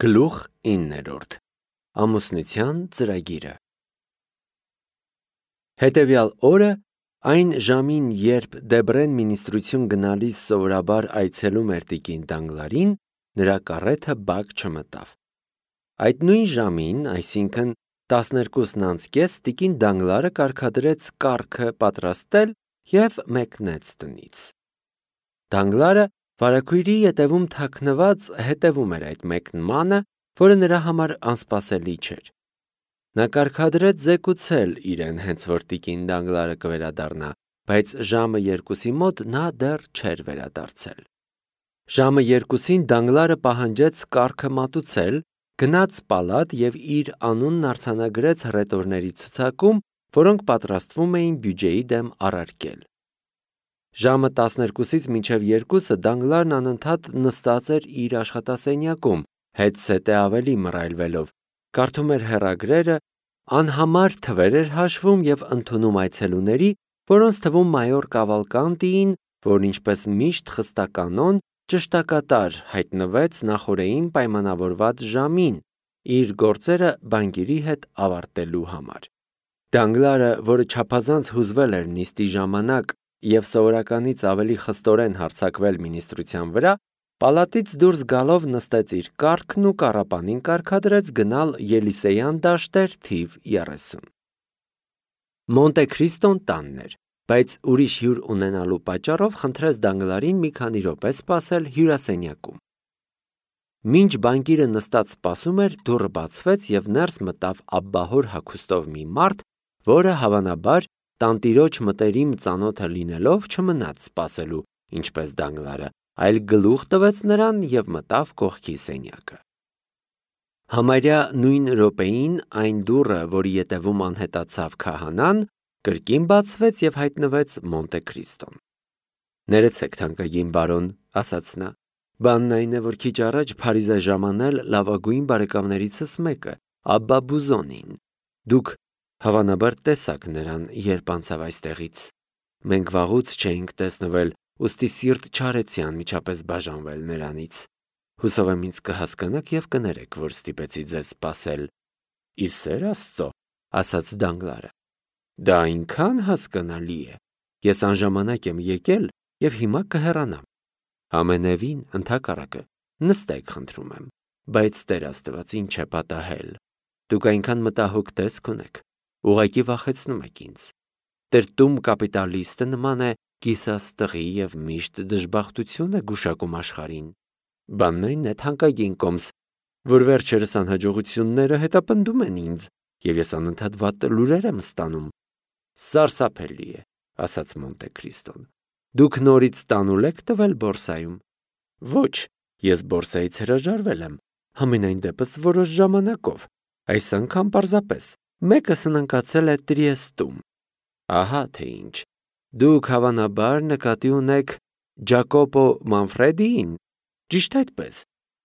Գլուխ 9. Ամուսնության ծրագիրը։ Հետևյալ օրը, այն ժամին, երբ Դեբրեն մինիստրություն գնալիս սովորաբար այցելում էր տիկին Դանգլարին, նրա կառեթը բակ չմտավ։ Այդ նույն ժամին, այսինքն 12:30, տիկին Դանգլարը կարգադրեց կառքը պատրաստել և մեկնեց տնից։ Դանգլարը վարագույրի ետևում թաքնված հետևում էր այդ մեկնմանը, որը նրա համար անսպասելի չէր։ Նա կարգադրեց զեկուցել իրեն, հենց որ տիկին Դանգլարը կվերադառնա, բայց ժամը 2-ի մոտ նա դեռ չէր վերադարձել։ Ժամը 2-ին Դանգլարը պահանջեց կառքը մատուցել, գնաց պալատ և իր անունն արձանագրեց հռետորների ցուցակում, որոնք պատրաստվում էին բյուջեի դեմ առարկել։ Ժամը 12-ից մինչև 2-ը Դանգլարն անընդհատ նստած էր իր աշխատասենյակում, հետսետե ավելի մռայլվելով, կարդում էր հեռագրերը, անհամար թվեր էր հաշվում և ընդունում այցելուների, որոնց թվում մայոր Կավալկանտիին, որն ինչպես միշտ խստականոն, ճշտակատար հայտնվեց նախօրեին պայմանավորված ժամին, իր գործերը բանկիրի հետ ավարտելու համար։ Դանգլարը, որը չափազանց հուզվել էր նիստի ժամանակ և սովորականից ավելի խստորեն հարձակվել մինիստրության վրա, պալատից դուրս գալով նստեց իր կառքն ու կառապանին կարգադրեց գնալ Ելիսեյան դաշտեր թիվ 30։ Մոնտե Քրիստոն տանն էր, բայց ուրիշ հյուր ունենալու պատճառով խնդրեց Դանգլարին մի քանի րոպե սպասել հյուրասենյակում։ Մինչ բանկիրը նստած սպասում էր, դուռը բացվեց և ներս մտավ աբբահոր հագուստով մի մարդ, որը հավանաբար տանտիրոջ մտերիմ ծանոթը լինելով չմնաց սպասելու, ինչպես Դանգլարը, այլ գլուխ տվեց նրան և մտավ կողքի սենյակը։ Համարյա նույն րոպեին այն դուռը, որի ետևում անհետացավ քահանան, կրկին բացվեց և հայտնվեց Մոնտե Քրիստոն։ «Ներեցեք, թանկագին բարոն», ասաց նա, «բանն այն է, որ քիչ առաջ Փարիզ է ժամանել լավագույն բարեկամներիցս մեկը, Աբբա Բուզոնին։ Դուք հավանաբար տեսաք նրան, երբ անցավ այստեղից։ Մենք վաղուց չէինք տեսնվել, ուստի սիրտ չարեցի անմիջապես բաժանվել նրանից։ Հուսով եմ ինձ կհասկանաք և կներեք, որ ստիպեցի ձեզ սպասել»։ «Ի սեր Աստծո», ասաց Դանգլարը, «դա այնքան հասկանալի է։ Ես անժամանակ եմ եկել և հիմա կհեռանամ։ Ամենևին, ընդհակառակը, նստեք, խնդրում եմ, բայց Տեր Աստված ինչ է պատահել։ Դուք այնքան մտահոգ տեսք ունեք, ուղղակի վախեցնում եք ինձ։ Տրտում կապիտալիստը նման է կիսաստղի և միշտ դժբախտություն է գուշակում աշխարհին։ Բանն այն է, թանկագին կոմս, որ վերջերս անհաջողությունները հետապնդում են ինձ, և ես անընդհատ վատ լուրեր եմ ստանում»։ «Սարսափելի է», ասաց Մոնտե Քրիստոն։ «Դուք նորից տանուլ եք տվել բորսայում»։ «Ոչ, ես բորսայից հրաժարվել եմ, համենայն դեպս որոշ ժամանակով, այս անգամ պարզապես մեկը սնանկացել է Տրիեստում»։ «Ահա թե ինչ, դուք հավանաբար նկատի ունեք Ջակոպո Մանֆրեդիին, ճիշտ այդպես,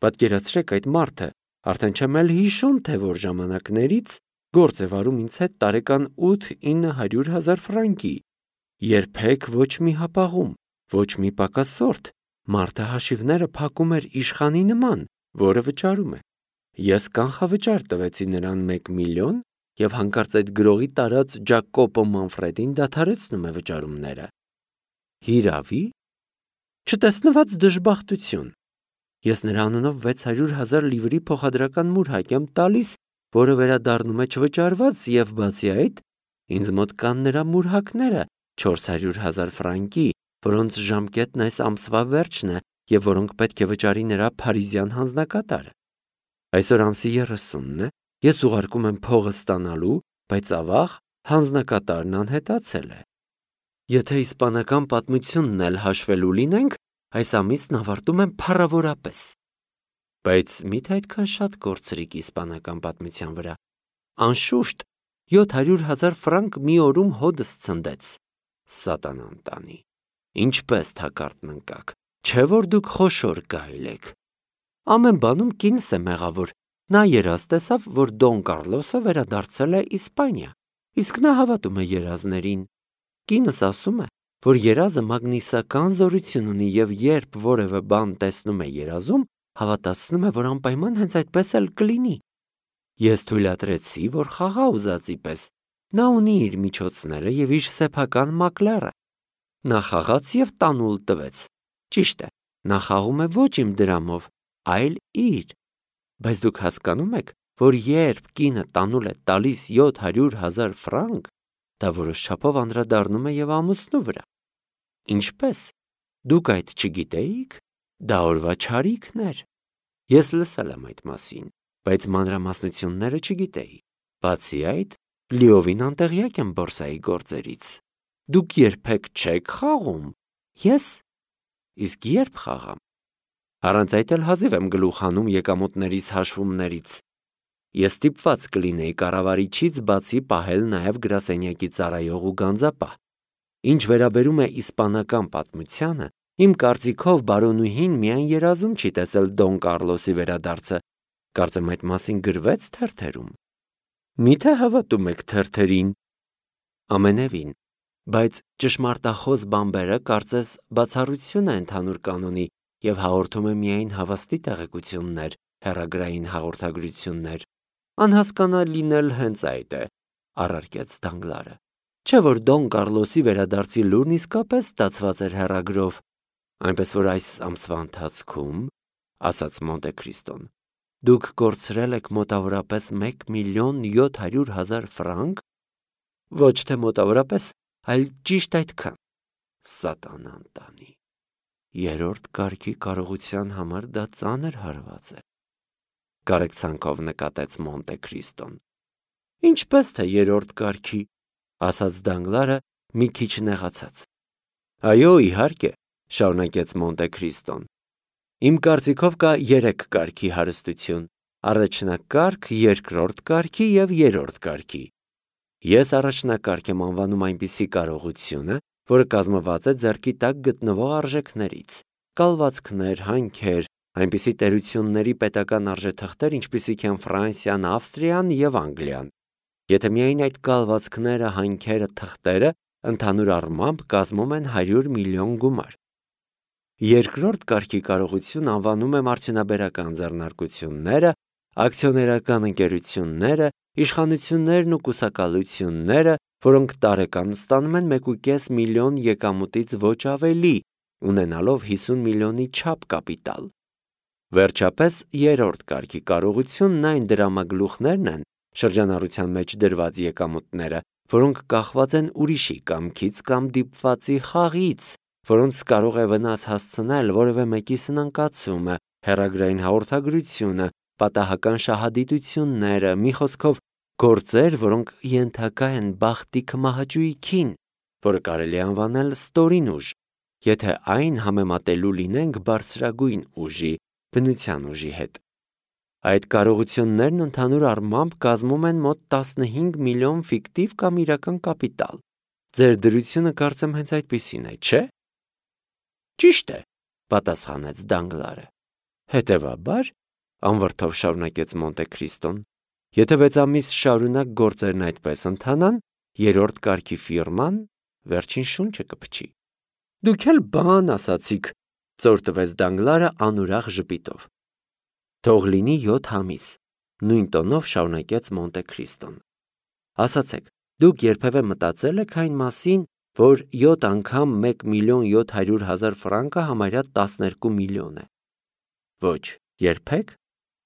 պատկերացրեք այդ մարդը, արդեն չեմ էլ հիշում, թե որ ժամանակներից գործ է վարում ինձ հետ տարեկան 8-900 հազար ֆրանկի, երբեք ոչ մի հապաղում, ոչ մի պակասորդ, մարդը հաշիվները փակում էր իշխանի նման, որը վճարում է։ Ես կանխավճար տվեցի նրան 1 միլիոն և հանկարծ այդ գրողի տարած Ջակոպո Մանֆրեդին դադարեցնում է վճարումները։ Հիրավի՞։ Չտեսնված դժբախտություն։ Ես նրա անունով 600 հազար լիվրի փոխադրական մուրհակ եմ տալիս, որը վերադառնում է չվճարված, և բացի այդ, ինձ մոտ կան նրա մուրհակները 400 հազար ֆրանկի, որոնց ժամկետն այս ամսվա վերջն է և որոնք պետք է վճարի նրա փարիզյան հանձնակատարը։ Այսօր ամսի 30-ն է, ես ուղարկում եմ փողը ստանալու, բայց ավաղ հանձնակատարն անհետացել է։ Եթե իսպանական պատմությունն էլ հաշվելու լինենք, այս ամիսն ավարտում եմ փառավորապես։ Բայց մի՞թե այդքան շատ կորցրիք իսպանական պատմության վրա։ Անշուշտ 700 հազար ֆրանկ մի օրում հոդս ցնդեց։ Սատանան տանի։ Ինչպես թակարդն ընկաք, չէ որ դուք խոշոր գայլ եք։ Ամեն բանում կինս է մեղավոր։ Նա երազ տեսավ, որ Դոն Կարլոսը վերադարձել է Իսպանիա, իսկ նա հավատում է երազներին։ Կինս ասում է, որ երազը մագնիսական զորություն ունի և երբ որևէ բան տեսնում է երազում, հավատացնում է, որ անպայման հենց այդպես էլ կլինի։ Ես թույլատրեցի, որ խաղա ուզածի պես։ Նա ունի իր միջոցները և իր սեփական մակլերը։ Նա խաղաց և տանուլ տվեց։ Ճիշտ է, նա խաղում է ոչ իմ դրամով, այլ իր։ Բայց դուք հասկանում եք, որ երբ կինը տանուլ է տալիս 700,000 ֆրանկ, դա որոշ չափով անդրադառնում է և ամուսնու վրա։ Ինչպե՞ս։ Դուք այդ չգիտեիք։ Դա օրվա չարիքն էր։ Ես լսել եմ այդ մասին, բայց մանրամասնությունները չգիտեի։ Բացի այդ, լիովին անտեղյակ եմ բորսայի գործերից։ Դուք երբեք չեք խաղում։ Ես։ Իսկ երբ խաղամ։ Առանց այդ էլ հազիվ եմ գլուխ հանում եկամուտներիս հաշվումներից։ Ես ստիպված կլինեի կառավարիչից բացի պահել նաև գրասենյակի ծառայող ու գանձապահ։ Ինչ վերաբերում է իսպանական պատմությանը, իմ կարծիքով բարոնուհին միայն երազում չի տեսել Դոն Կառլոսի վերադարձը։ Կարծեմ այդ մասին գրվեց թերթերում։ Միթե հավատում եք թերթերին։ Ամենևին, բայց ճշմարտախոս բամբերը կարծես բացառություն է ընդհանուր կանոնի և հաղորդում է միայն հավաստի տեղեկություններ, հեռագրային հաղորդագրություններ։ Անհասկանալին էլ հենց այդ է, առարկեց Դանգլարը։ Չէ՞ որ Դոն Կառլոսի վերադարձի լուրն իսկապես ստացված էր հեռագրով։ Այնպես որ այս ամսվա ընթացքում, ասաց Մոնտե Քրիստոն, դուք կորցրել եք մոտավորապես 1,700,000 ֆրանկ։ Ոչ թե մոտավորապես, այլ ճիշտ այդքան։ Սատանան տանի։ Երրորդ կարգի կարողության համար դա ծանր հարված է։ Կարեկցանքով նկատեց Մոնտե Քրիստոն։ Ինչպես թե երրորդ կարգի, ասաց Դանգլարը մի քիչ նեղացած։ Այո, իհարկե, շարունակեց Մոնտե Քրիստոն։ Իմ կարծիքով կա 3 կարգի հարստություն՝ առաջնակարգ, երկրորդ կարգի և երրորդ կարգի։ Ես առաջնակարգ եմ անվանում այնպիսի կարողությունը, որը կազմված է ձեռքի տակ գտնվող արժեքներից՝ կալվածքներ, հանքեր, այնպիսի տերությունների պետական արժեթղթեր, ինչպիսիք են Ֆրանսիան, Ավստրիան և Անգլիան։ Եթե միայն այդ կալվածքները, հանքերը, թղթերը ընդհանուր առմամբ կազմում են 100 միլիոն գումար։ Երկրորդ կարգի կարողություն անվանում եմ արդյունաբերական ձեռնարկությունները, ակցիոներական ընկերությունները, իշխանություններն ու կուսակալությունները, որոնք տարեկան ստանում են 1,5 միլիոն եկամուտից ոչ ավելի, ունենալով 50 միլիոնի չափ կապիտալ։ Վերջապես, երրորդ կարգի կարողությունն այն դրամագլուխներն են, շրջանառության մեջ դրված եկամուտները, որոնք կախված են ուրիշի կամքից կամ դիպվածի խաղից, որոնց կարող է վնաս հասցնել որևէ մեկի սնանկացումը, հեռագրային հաղորդագրությունը, պատահական շահադիտությունները, մի խոսքով, գործեր, որոնք ենթակա են բախտի քմահաճույքին, որը կարելի է անվանել ստորին ուժ, եթե այն համեմատելու լինենք բարձրագույն ուժի, բնության ուժի հետ։ Այդ կարողություններն ընդհանուր առմամբ կազմում են մոտ 15 միլիոն ֆիկտիվ կամ իրական կապիտալ։ Ձեր դրությունը կարծեմ հենց այդպիսին է, չէ՞։ Ճիշտ է, պատասխանեց Դանգլարը։ Հետևաբար, անվրդով շարունակեց Մոնտե Քրիստոն, եթե 6 ամիս շարունակ գործերն այդպես ընթանան, երրորդ կարգի ֆիրման վերջին շունչը կփչի։ Դուք էլ բան ասացիք, ծոր տվեց Դանգլարը անուրախ ժպիտով։ Թող լինի 7 ամիս, նույն տոնով շարունակեց Մոնտե Քրիստոն։ Ասացեք, դուք երբևէ մտածել եք այն մասին, որ 7 անգամ 1,700,000 ֆրանկը համարյա 12 միլիոն է։ Ոչ, երբեք։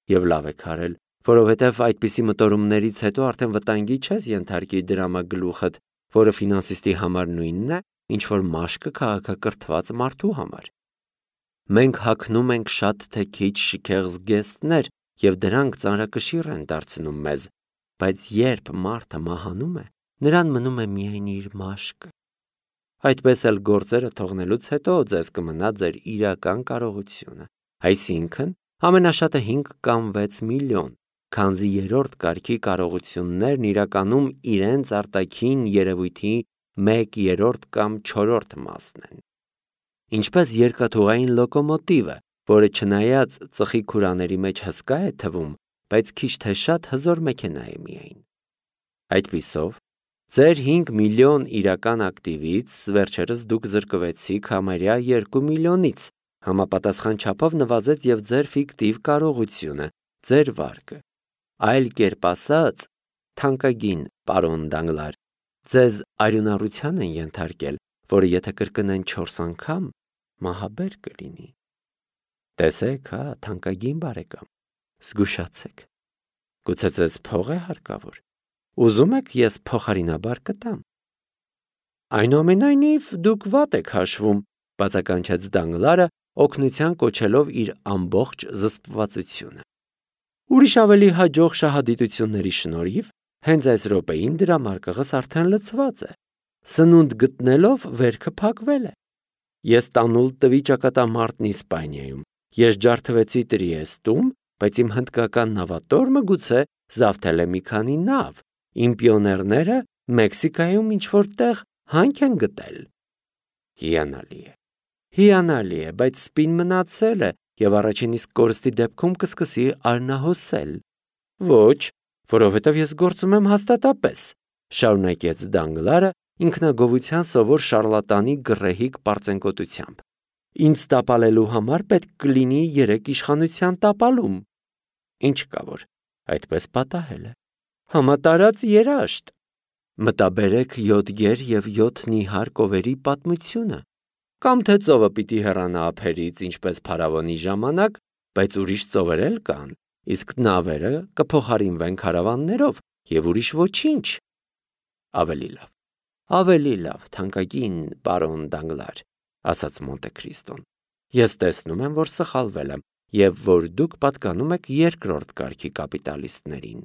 Եվ լավ եք արել, որովհետև այդպիսի մտորումներից հետո արդեն վտանգի չես ենթարկի դրամագլուխդ, որը ֆինանսիստի համար նույնն է, ինչ որ մաշկը քաղաքակրթված մարդու համար։ Մենք հագնում ենք շատ թե քիչ շքեղ զգեստներ, և դրանք ծանրակշիռ են դարձնում մեզ, բայց երբ մարդը մահանում է, նրան մնում է միայն իր մաշկը։ Այդպես էլ գործերը թողնելուց հետո ձեզ կմնա ձեր իրական կարողությունը, այսինքն ամենաշատը 5 կամ 6 միլիոն, քանզի երրորդ կարգի կարողություններն իրականում իրենց արտաքին երևույթի 1/3 կամ 4 մասն են։ Ինչպես երկաթուղային լոկոմոտիվը, որը չնայած ծխի քուրաների մեջ հսկա է թվում, բայց քիչ թե շատ հզոր մեքենա է միայն։ Այդպիսով, ձեր 5 միլիոն իրական ակտիվից վերջերս դուք զրկվեցիք համարյա 2 միլիոնից, Համապատասխան չափով նվազեց եւ ձեր ֆիկտիվ կարողությունը, ձեր վարկը։ Այլ կերպ ասած, թանկագին պարոն Դանգլար, ձեզ արյունառության են ենթարկել, որը եթե կրկնեն 4 անգամ, մահաբեր կլինի։ Տեսեք, հա, թանկագին բարեկամ, զգուշացեք։ Գուցե ձեզ փող է հարկավոր։ Ուզում եք ես փոխարինաբար կտամ։ Այնուամենայնիվ դուք վատ եք հաշվում, բացականչեց Դանգլարը, օգնության կոչելով իր ամբողջ զսպվածությունը։ Ուրիշ ավելի հաջող շահադիտությունների շնորհիվ հենց այս րոպեին դրա մարկղս արդեն լցված է։ Սնունդ գտնելով վերքը փակվել է։ Ես տանուլ տվի ճակատամարտն Իսպանիայում։ Ես ջարդվեցի Տրիեստում, բայց իմ հնդկական նավատորմը գուցե զավթել է մի քանի նավ։ Իմ պիոներները Մեքսիկայում ինչ-որ տեղ հանք են գտել։ Հիանալի է, բայց սպին մնացել է եւ առաջին իսկ կորստի դեպքում կսկսի արնահոսել։ Ոչ, որովհետեւ ես գործում եմ հաստատապես, շարունակեց Դանգլարը ինքնագովության սովոր շարլատանի գռեհիկ պարծենկոտությամբ։ Ինձ տապալելու համար պետք կլինի 3 իշխանության տապալում։ Ինչ կա որ, այդպես պատահել է։ Համատարած երաշտ։ Մտաբերեք 7 գեր եւ 7 նիհար կովերի պատմությունը։ Կամ թե ծովը պիտի հեռանա ափերից ինչպես փարավոնի ժամանակ, բայց ուրիշ ծովեր էլ կան, իսկ նավերը կփոխարինվեն քարավաններով եւ ուրիշ ոչինչ։ Ավելի լավ, թանկագին պարոն Դանգլար, ասաց Մոնտե Քրիստոն։ Ես տեսնում եմ, որ սխալվել եմ եւ որ դուք պատկանում եք երկրորդ կարգի կապիտալիստներին։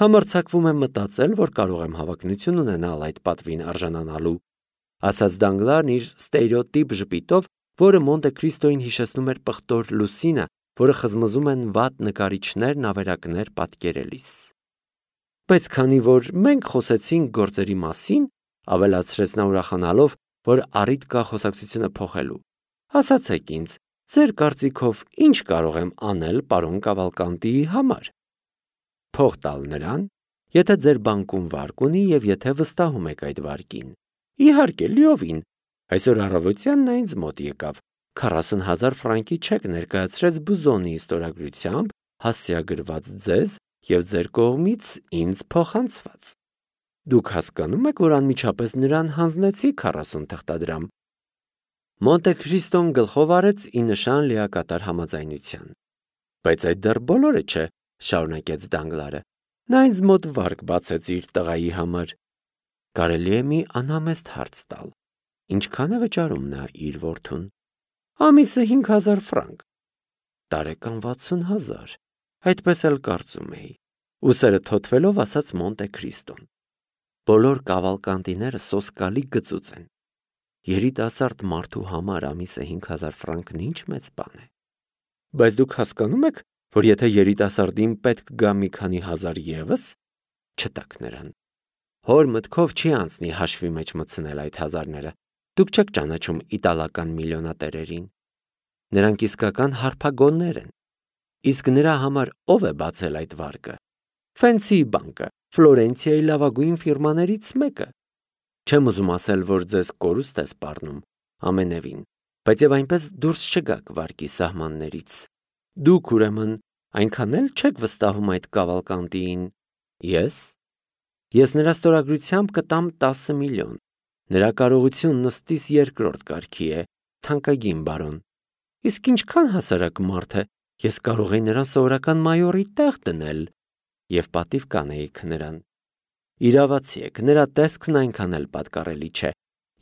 Համարձակվում եմ մտածել, որ կարող եմ հավակնություն ունենալ այդ պատվին արժանանալու, ասաց Դանգլարն իր ստերեոտիպ ժպիտով, որը Մոնտե Քրիստոյին հիշեցնում էր պղտոր լուսինը, որը խզմզում են վատ նկարիչներն ավերակներ պատկերելիս։ Բայց քանի որ մենք խոսեցինք գործերի մասին, ավելացրեց նա ուրախանալով, որ առիթ կա խոսակցությունը փոխելու, ասացեք ինձ, ձեր կարծիքով ինչ կարող եմ անել պարոն Կավալկանտիի համար։ Փող տալ նրան, եթե ձեր բանկում վարկ ունի եւ եթե վստահում եք այդ վարկին։ Իհարկե, լիովին։ Այսօր առավոտյան նա ինձ մոտ եկավ, 40,000 ֆրանկի չեք ներկայացրեց Բուզոնի ստորագրությամբ, հասցեագրված ձեզ եւ ձեր կողմից ինձ փոխանցված։ Դուք հասկանում եք, որ անմիջապես նրան հանձնեցի 40 թղթադրամ։ Մոնտե Քրիստոն գլխով արեց ի նշան լիակատար համաձայնության։ Բայց այդ դեռ բոլորը չէ, շարունակեց Դանգլարը։ Նա ինձ մոտ վարկ բացեց իր տղայի համար։ Կարելի է մի անհամեստ հարց տալ։ Ինչքան է վճարում նա իր որդուն։ Ամիսը 5,000 ֆրանկ։ Տարեկան 60,000։ Այդպես էլ կարծում էի։ Ուսերը թոթվելով ասաց Մոնտե Քրիստոն։ Բոլոր Կավալկանտիները սոսկալի գծուծ են։ Երիտասարդ մարդու համար ամիսը 5,000 ֆրանկն ինչ մեծ բան է։ Բայց դուք հասկանում եք, որ եթե երիտասարդին պետք գա մի քանի հազար ևս, չտաք նրան։ Հոր մտքով չի անցնի հաշվի մեջ մտցնել այդ հազարները։ Դուք չեք ճանաչում իտալական միլիոնատերերին։ Նրանք իսկական հարփագոններ են։ Իսկ նրա համար ով է բացել այդ վարկը։ Ֆենսի բանկը, Ֆլորենցիայի լավագույն ֆիրմաներից մեկը։ Չեմ ուզում ասել, որ ձեզ կորուստ է սպառնում, ամենևին, բայց եւ այնպես դուրս չգաք վարկի սահմաններից։ Դուք ուրեմն այնքան էլ չեք վստահում այդ Կավալկանտիին։ Ես նրա ստորագրությամբ կտամ 10 միլիոն։ Նրա կարողությունն ըստիս երկրորդ կարգի է, թանկագին բարոն։ Իսկ ինչքան հասարակ մարդ է, ես կարող եի նրան սովորական մայորի տեղ դնել եւ պատիվ կանեիք նրան։ Իրավացի եք, նրա տեսքն այնքան էլ պատկառելի չէ։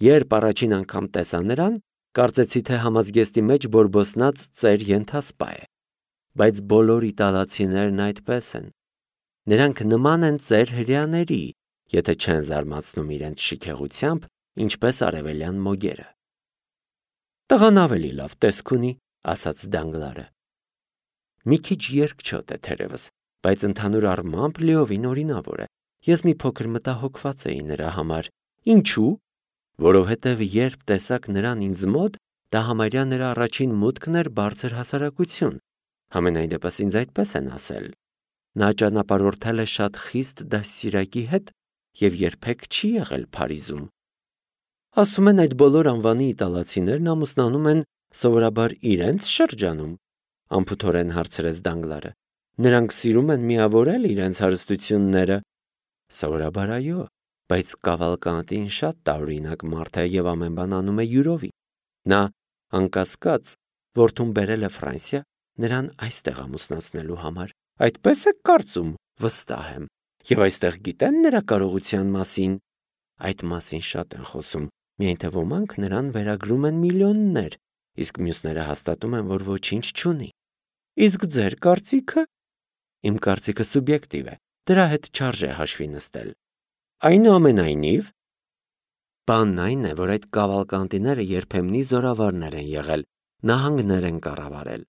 Երբ առաջին անգամ տեսա նրան, կարծեցի, թե համազգեստի մեջ բորբոսնած ծեր ենթասպա է։ Բայց բոլոր իտալացիներն այդպես են։ Նրանք նման են ծեր հրեաների, եթե չեն զարմացնում իրենց շիքեղությամբ, ինչպես արևելյան մոգերը։ Տղան ավելի լավ տեսք ունի, ասաց Դանգլարը։ Մի քիչ երկչոտ է թերևս, բայց ընդհանուր առմամբ լիովին օրինավոր է։ Ես մի փոքր մտահոգված էի նրա համար։ Ինչու՞։ Որովհետև երբ տեսակ նրան ինձ մոտ, դա համարյա նրա առաջին մուտքն էր բարձր հասարակություն։ Համենայն դեպս ինձ այդպես են ասել։ Նա ճանապարհորդել է շատ խիստ դաստիարակի հետ եւ երբեք չի եղել Փարիզում։ Ասում են այդ բոլոր անվանի իտալացիներն ամուսնանում են Սովորաբար իրենց շրջանում, անփութորեն հարցրեց Դանգլարը։ Նրանք սիրում են միավորել իրենց հարստությունները։ Սովորաբար այո, բայց Կավալկանտին շատ տարօրինակ մարդ է եւ ամեն բան անում է յուրովի։ Նա անկասկած որդուն բերել է Ֆրանսիա նրան այստեղ ամուսնացնելու համար։ Այդպես է կարծում, վստահ եմ։ Եվ այստեղ գիտեն նրա կարողության մասին։ Այդ մասին շատ են խոսում, միայն թե ոմանք նրան վերագրում են միլիոններ, իսկ մյուսները հաստատում են, որ ոչինչ չունի։ Իսկ ձեր կարծիքը։ Իմ կարծիքը սուբյեկտիվ է, դրա հետ չարժե հաշվի նստել։ Այնուամենայնիվ, բանն այն է, որ այդ Կավալկանտիները երբեմնի զորավարներ են եղել, նահանգներ են կառավարել։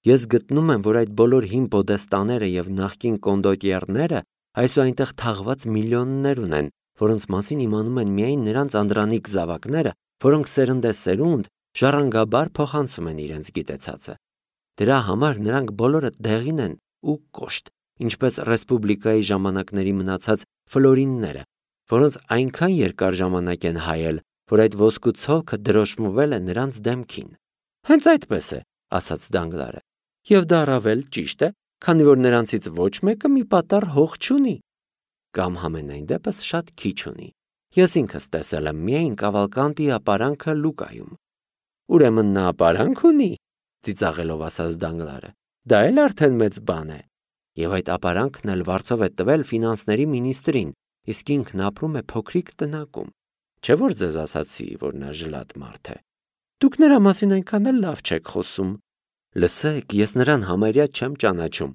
Ես գտնում եմ, որ այդ բոլոր հին պոդեստաները եւ նախկին կոնդոտիերները այսօր այնտեղ թաղված միլիոններ ունեն, որոնց մասին իմանում են միայն նրանց անդրանիկ զավակները, որոնք սերնդեսերունդ ժառանգաբար փոխանցում են իրենց գիտեցածը։ Դրա համար նրանք բոլորը դեղին են ու կոշտ, ինչպես ռեսպուբլիկայի ժամանակների մնացած ֆլորինները, որոնց այնքան երկար ժամանակ են հայել, որ այդ ոսկու ցոլքը դրոշմվել է նրանց դեմքին։ Հենց այդպես է, ասաց Դանգլարը։ Եվ դա առավել ճիշտ է, քանի որ նրանցից ոչ մեկը մի պատառ հող չունի։ Կամ համենայն դեպս շատ քիչ ունի։ Ես ինքս տեսել եմ միայն Կավալկանտի ապարանքը Լուկայում։ Ուրեմն նա ապարանք ունի, ծիծաղելով ասաց Դանգլարը։ Դա էլ արդեն մեծ բան է։ Եվ այդ ապարանքն էլ վարձով է տվել ֆինանսների մինիստրին, իսկ ինքն ապրում է փոքրիկ տնակում։ Չէ՞ որ ձեզ ասացի, որ նա ժլատ մարդ է։ Դուք նրա մասին այնքան էլ լավ չեք խոսում։ Լսեք, ես նրան համարյա չեմ ճանաչում։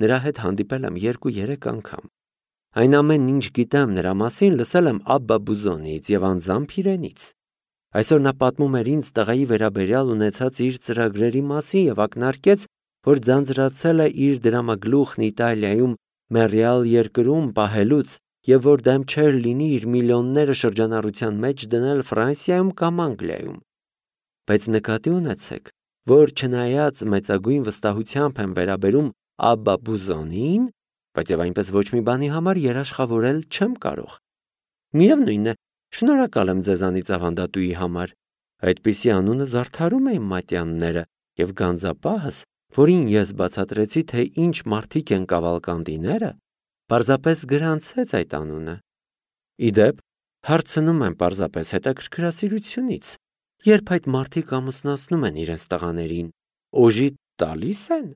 Նրա հետ հանդիպել եմ 2-3 անգամ։ Այն ամեն ինչ գիտեմ նրա մասին լսել եմ Աբբա Բուզոնից եւ անձամբ իրենից։ Այսօր նա պատմում էր ինձ տղայի վերաբերյալ ունեցած իր ծրագրերի մասին եւ ակնարկեց, որ ձանձրացել է իր դրամագլուխն Իտալիայում մեռյալ երկրում պահելուց եւ որ դեմ չէր լինի իր միլիոնները շրջանառության մեջ դնել Ֆրանսիայում կամ Անգլիայում։ Բայց նկատի ունեցեք, որ չնայած մեծագույն վստահությամբ եմ վերաբերում Աբբա Բուզոնին, բայց եւ այնպես ոչ մի բանի համար երաշխավորել չեմ կարող։ Միևնույն է, շնորհակալ եմ ձեզանից ավանդատուի համար։ Այդպիսի անունը զարդարում է իմ մատյանները եւ գանձապահս, որին ես բացատրեցի, թե ինչ մարդիկ են Կավալկանտիները, պարզապես գրանցեց այդ անունը։ Իդեպ, հարցնում եմ պարզապես հետաքրքրասիրությունից, երբ այդ մարդիկ ամուսնացնում են իրենց տղաներին, օժի տալիս են։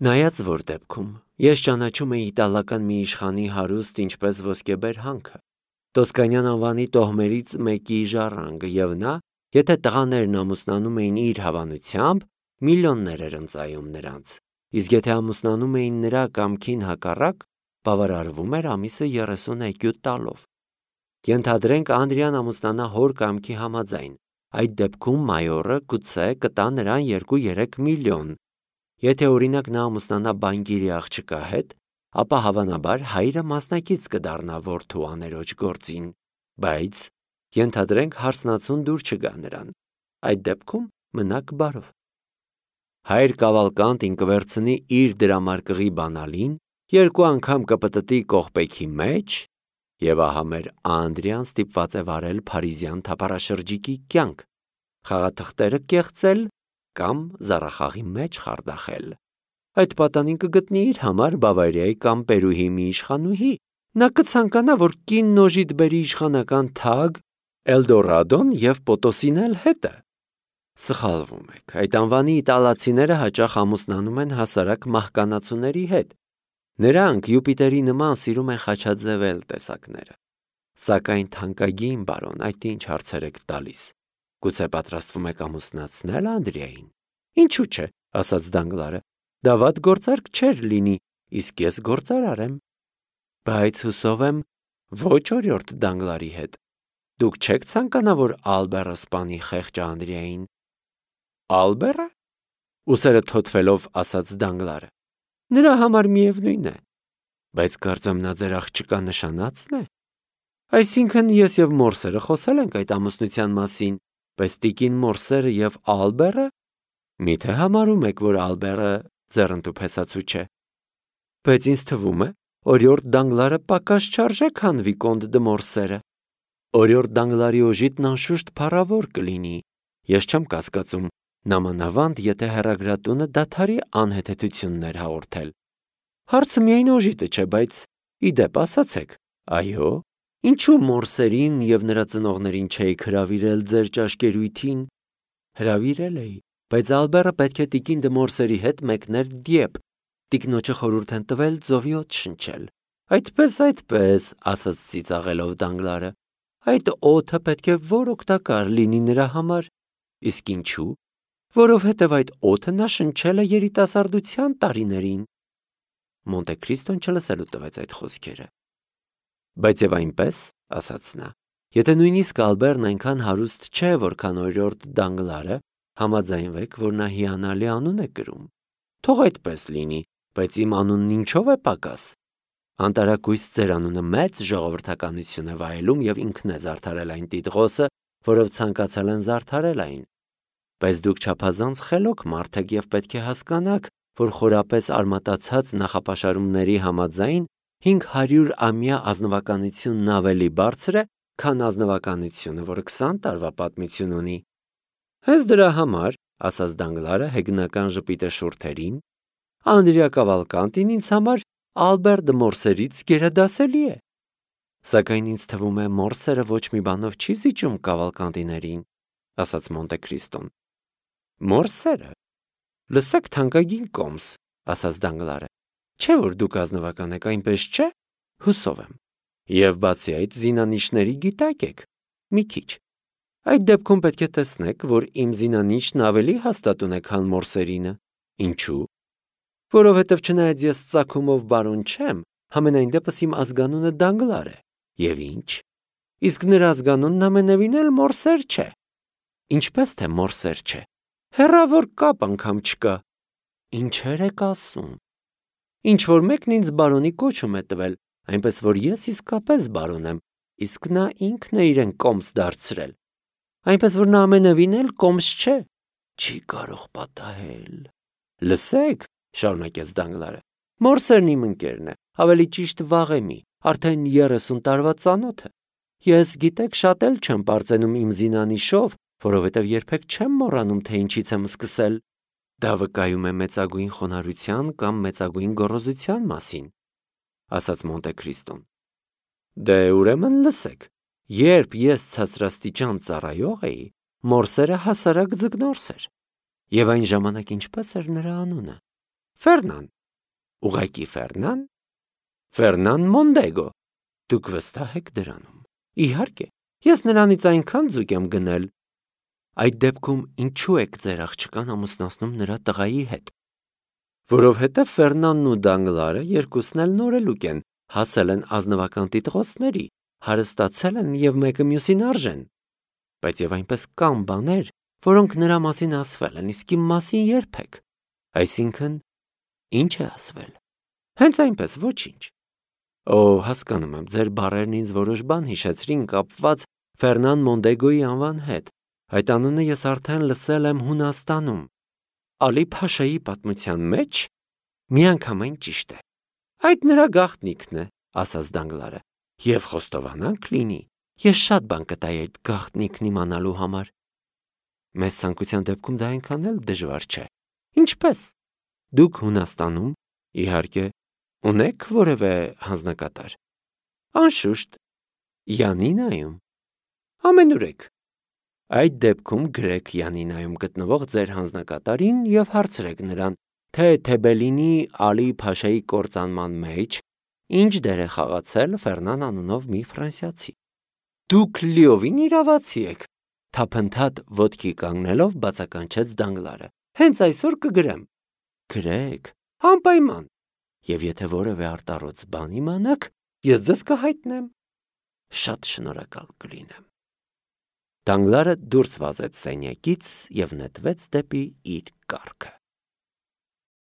Նայած որ դեպքում, ես ճանաչում էի իտալական մի իշխանի հարուստ ինչպես ոսկեբեր հանքը, Տոսկանյան անվանի տոհմերից մեկի ժառանգը եւ նա, եթե տղաներն ամուսնանում էին իր հավանությամբ, միլիոններ էր ընծայում նրանց, իսկ եթե ամուսնանում էին նրա կամքին հակառակ, բավարարվում էր ամիսը 30 էկյու տալով։ Ենթադրենք Անդրիան ամուսնանա հոր կամքի համաձայն, այդ դեպքում մայորը գուցե կտա նրան 2-3 միլիոն։ Եթե օրինակ նա ամուսնանա բանկիրի աղջկա հետ, ապա հավանաբար հայրը մասնակից կդառնա որդու աներոջ գործին, բայց ենթադրենք հարսնացուն դուր չգա նրան, այդ դեպքում մնաք բարով։ Հայր Կավալկանտին կվերցնի իր դրամարկղի բանալին, 2 անգամ կպտտի կողպեքի մեջ, եւ ահա մեր Անդրիան ստիպված է վարել փարիզյան թափառաշրջիկի կյանք, խաղաթղթերը կեղծել կամ զառախաղի մեջ խարդախել։ Այդ պատանին կգտնի իր համար Բավարիայի կամ Պերուհի մի իշխանուհի։ Նա կցանկանա, որ կինն օժիտ բերի իշխանական թագ, Էլդորադոն եւ Պոտոսին էլ հետը։ Սխալվում եք, այդ անվանի իտալացիները հաճախ ամուսնանում են հասարակ մահկանացուների հետ։ Նրանք Յուպիտերի նման սիրում են խաչաձևել տեսակները։ Սակայն թանկագին բարոն, այդ ինչ հարցեր եք տալիս։ Գուցե պատրաստվում եք ամուսնացնել Անդրիային։ Ինչու՞ չէ, ասաց Դանգլարը։ Դա վատ գործարք չէր լինի, իսկ ես գործարար եմ։ Բայց հուսով եմ ոչ օրիորդ Դանգլարի հետ։ Դուք չեք ցանկանա, որ Ալբերը սպանի խեղճ Անդրիային։ Ալբերը։ Ուսերը թոթվելով ասաց Դանգլարը։ Նրա համար միևնույն է։ Բայց կարծեմ նա ձեր աղջկա նշանածն է։ Այսինքն ես եւ Մորսերը խոսել ենք այդ ամուսնության մասին, բայց տիկին Մորսերը եւ Ալբերը։ Միթե համարում եք, որ Ալբերը ձեռնտու փեսացու չէ։ Բայց ինձ թվում է, օրիորդ Դանգլարը պակաս չարժե, քան Վիկոնտ դը Մորսերը։ Օրիորդ Դանգլարի օժիտն անշուշտ փառավոր կլինի։ Ես չեմ կասկածում, Նամանավանդ, եթե հեռագրատունը դադարի անհեթեթություններ հաղորդել։ Հարցը միայն օժիտը չէ, բայց ի դեպ ասացեք, այո, ինչու Մորսերին և նրա ծնողներին չէիք հրավիրել ձեր ճաշկերույթին։ Հրավիրել էի, բայց Ալբերը պետք է տիկին դը Մորսերի հետ մեկներ Դիեպ։ Տիկնոջը խորհուրդ են տվել ծովի օդ շնչել։ Այդպես, ասաց ծիծաղելով Դանգլարը։ Այդ օդը պետք է որ օգտակար լինի նրա համար։ Իսկ ինչու։ Որովհետև այդ օդը նա շնչել է երիտասարդության տարիներին։ Մոնտե Քրիստոն չլսելու տվեց այդ խոսքերը։ Բայց եւ այնպես, ասաց նա, եթե նույնիսկ Ալբերն այնքան հարուստ չէ, որքան օրիորդ Դանգլարը, համաձայնվեք, որ նա հիանալի անուն է կրում։ Թող այդպես լինի, բայց իմ անունն ինչով է պակաս։ Անտարակույս ձեր անունը մեծ ժողովրդականություն է վայելում եւ ինքն է զարդարել այն տիտղոսը, որով ցանկացել են զարդարել այն։ Բայց դուք չափազանց խելոք մարդ եք եւ պետք է հասկանաք, որ խորապես արմատացած նախապաշարումների համաձայն 500 ամյա ազնվականությունն ավելի բարձր է, քան ազնվականությունը, որը 20 տարվա պատմություն ունի։ Հենց դրա համար, ասաց Դանգլարը հեգնական ժպիտը շուրթերին, Անդրիա Կավալկանտին ինձ համար Ալբեր դը Մորսերից գերադասելի է։ Սակայն ինձ թվում է Մորսերը ոչ մի բանով չի զիջում Կավալկանտիներին, ասաց Մոնտե Քրիստոն։ Մորսերը։ Լսեք թանկագին կոմս, ասաց Դանգլարը։ Չէ՞ որ դուք ազնվական եք, այնպես չէ։ Հուսով եմ։ Եվ բացի այդ զինանիշների գիտակ եք։ Մի քիչ։ Այդ դեպքում պետք է տեսնեք, որ իմ զինանիշն ավելի հաստատուն է, քան Մորսերինը։ Ինչու։ Որովհետև չնայած ես ծագումով բարոն չեմ, համենայն դեպս իմ ազգանունը Դանգլար է։ Եվ ինչ։ Իսկ նրա ազգանունն ամենևին էլ Մորսեր չէ։ Ինչպես թե Մորսեր չէ։ Հեռավոր կապ անգամ չկա։ Ինչեր եք ասում։ Ինչ որ մեկն ինձ բարոնի կոչում է տվել, այնպես որ ես իսկապես բարոն եմ, իսկ նա ինքն է իրեն կոմս դարձրել։ Այնպես որ նա ամենևին էլ կոմս չէ։ Չի կարող պատահել։ Լսեք, շարունակեց Դանգլարը, Մորսերն իմ ընկերն է, ավելի ճիշտ վաղեմի, արդեն 30 տարվա ծանոթ է։ Ես գիտեք շատ էլ չեմ պարծենում իմ զինանիշով, որովհետև երբեք չեմ մոռանում, թե ինչից եմ սկսել։ Դա վկայում է մեծագույն խոնարհության կամ մեծագույն գոռոզության մասին, ասաց Մոնտե Քրիստոն։ Դե ուրեմն լսեք, երբ ես ցածրաստիճան ծառայող էի, Մորսերը հասարակ ձկնորս էր։ Եվ այն ժամանակ ինչպես էր նրա անունը։ Ֆերնան։ Ուղղակի Ֆերնան։ Ֆերնան Մոնդեգո։ Դուք վստահ եք դրանում։ Իհարկե, ես նրանից այնքան ձուկ եմ գնել։ Այդ դեպքում ինչու եք ձեր աղջկան ամուսնացնում նրա տղայի հետ։ Որովհետև Ֆերնանն ու Դանգլարը երկուսն էլ նորելուկ են, հասել են ազնվական տիտղոսների, հարստացել են եւ մեկը մյուսին արժեն։ Բայց եւ այնպես կան բաներ, որոնք նրա մասին ասվել են, իսկ իմ մասին երբեք։ Այսինքն, ինչ է ասվել։ Հենց այնպես, ոչինչ։ Օ, հասկանում եմ, ձեր բառերն ինձ որոշ բան հիշեցրին կապված Ֆերնան Մոնդեգոյի անվան հետ։ Այդ անունը ես արդեն լսել եմ Հունաստանում։ Ալի Փաշայի պատմության մեջ միանգամայն ճիշտ է։ Այդ նրա գաղտնիքն է, ասաց Դանգլարը, եւ խոստովանանք լինի, ես շատ բան կտայի այդ գաղտնիքն իմանալու համար։ Մեծ ցանկության դեպքում դա այնքան էլ դժվար չէ։ Ինչպես։ Դուք Հունաստանում, իհարկե, ունեք որևէ հանձնակատար։ Անշուշտ, Յանինայում։ Ամենուրեք։ Այդ դեպքում գրեք Յանինայում գտնվող ձեր հանձնակատարին եւ հարցրեք նրան, թե Թեբելինի Ալի Փաշայի կործանման մեջ ինչ դեր է խաղացել Ֆերնան անունով մի ֆրանսիացի։ Դուք լիովին իրավացի եք, թափընթադ ոտքի կանգնելով բացականչեց Դանգլարը։ Հենց այսօր կգրեմ։ Գրեք, անպայման։ Եվ եթե որևէ արտառոց բան իմանաք, ես ձեզ կհայտնեմ։ Շատ շնորհակալ կլինեմ։ Դանգլարը դուրս վազեց սենյակից եւ նետվեց դեպի իր կառքը։